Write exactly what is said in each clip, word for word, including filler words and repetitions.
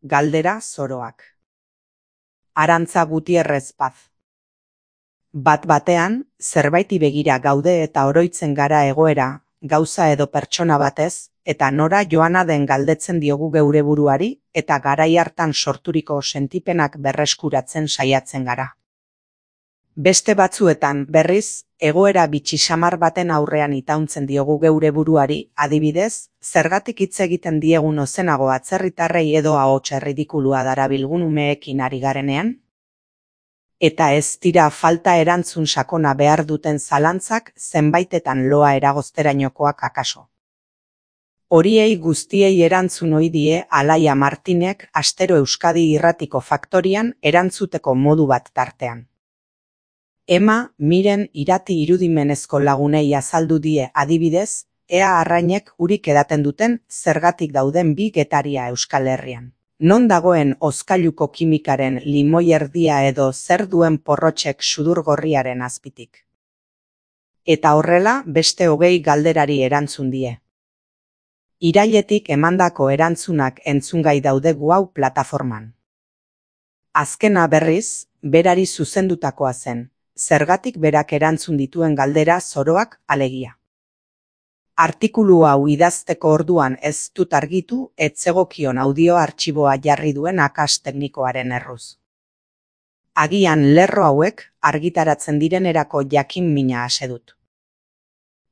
Galdera zoroak. Arantza Gutierrez Paz. Bat batean, zerbaiti begira gaude eta oroitzen gara egoera, gauza edo pertsona batez, eta nora joana den galdetzen diogu geure buruari, eta garai hartan sorturiko sentipenak berreskuratzen saiatzen gara. Beste batzuetan, berriz, egoera bitxi samar baten aurrean itauntzen diogu geure buruari, adibidez, zergatik hitz egiten diegun ozenago atzerritarrei edo ahots erridikulua darabilgun umeekin ari garenean? Eta ez dira falta erantzun sakona behar duten zalantzak zenbaitetan loa eragozterainokoak akaso. Horiei guztiei erantzun ohi die Alaia Martinek astero Euskadi Irratiko Faktorian erantzuteko modu bat tartean. Ema, Miren Irati irudimenezko lagunei azaldu die adibidez, ea arrainek urik edaten duten zergatik dauden bi getaria Euskal Herrian. Non dagoen hozkailuko kimikaren limoi erdia edo zer duen porrotxek sudurgorriaren azpitik. Eta horrela beste hogei galderari erantzun die. Irailetik emandako erantzunak entzungai daude gu hau plataforman. Azkena berriz, berari zuzendutakoa zen, zergatik berak erantzun dituen galdera zoroak alegia. Artikulu hau idazteko orduan ez dut argitu etzegokion audio artxiboa jarri duen akas teknikoaren erruz. Agian lerro hauek argitaratzen direnerako jakin mina ase dut.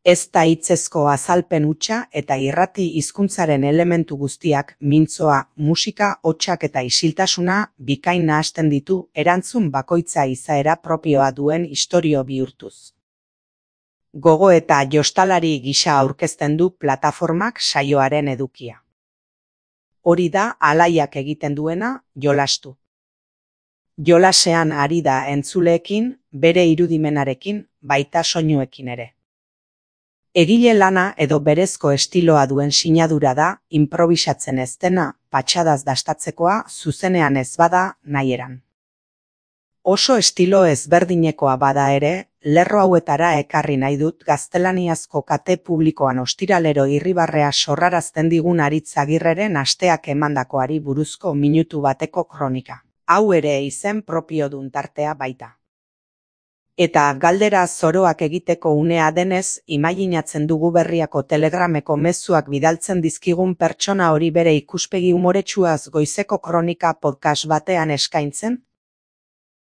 Ez da hitzezko azalpen hutsa eta irrati hizkuntzaren elementu guztiak mintzoa, musika, hotsak eta isiltasuna bikain nahasten ditu erantzun bakoitza izaera propioa duen istorio bihurtuz. Gogo eta jostalari gisa aurkezten du plataformak saioaren edukia. Hori da Alaiak egiten duena, jolastu. Jolasean ari da entzuleekin, bere irudimenarekin, baita soinuekin ere. Egile lana edo berezko estiloa duen sinadura da, improbisatzen ez dena, patxadaz dastatzekoa, zuzenean ez bada, nahieran. Oso estilo ezberdinekoa bada ere, lerro hauetara ekarri nahi dut gaztelaniazko kate publikoan ostiralero irribarrea sorrarazten digun Aritz Agirreren asteak emandakoari buruzko minutu bateko kronika. Hau ere izen propiodun tartea baita. Eta galdera zoroak egiteko unea denez, imaginatzen dugu Berriako Telegrameko mezuak bidaltzen dizkigun pertsona hori bere ikuspegi umoretsuaz goizeko kronika podcast batean eskaintzen,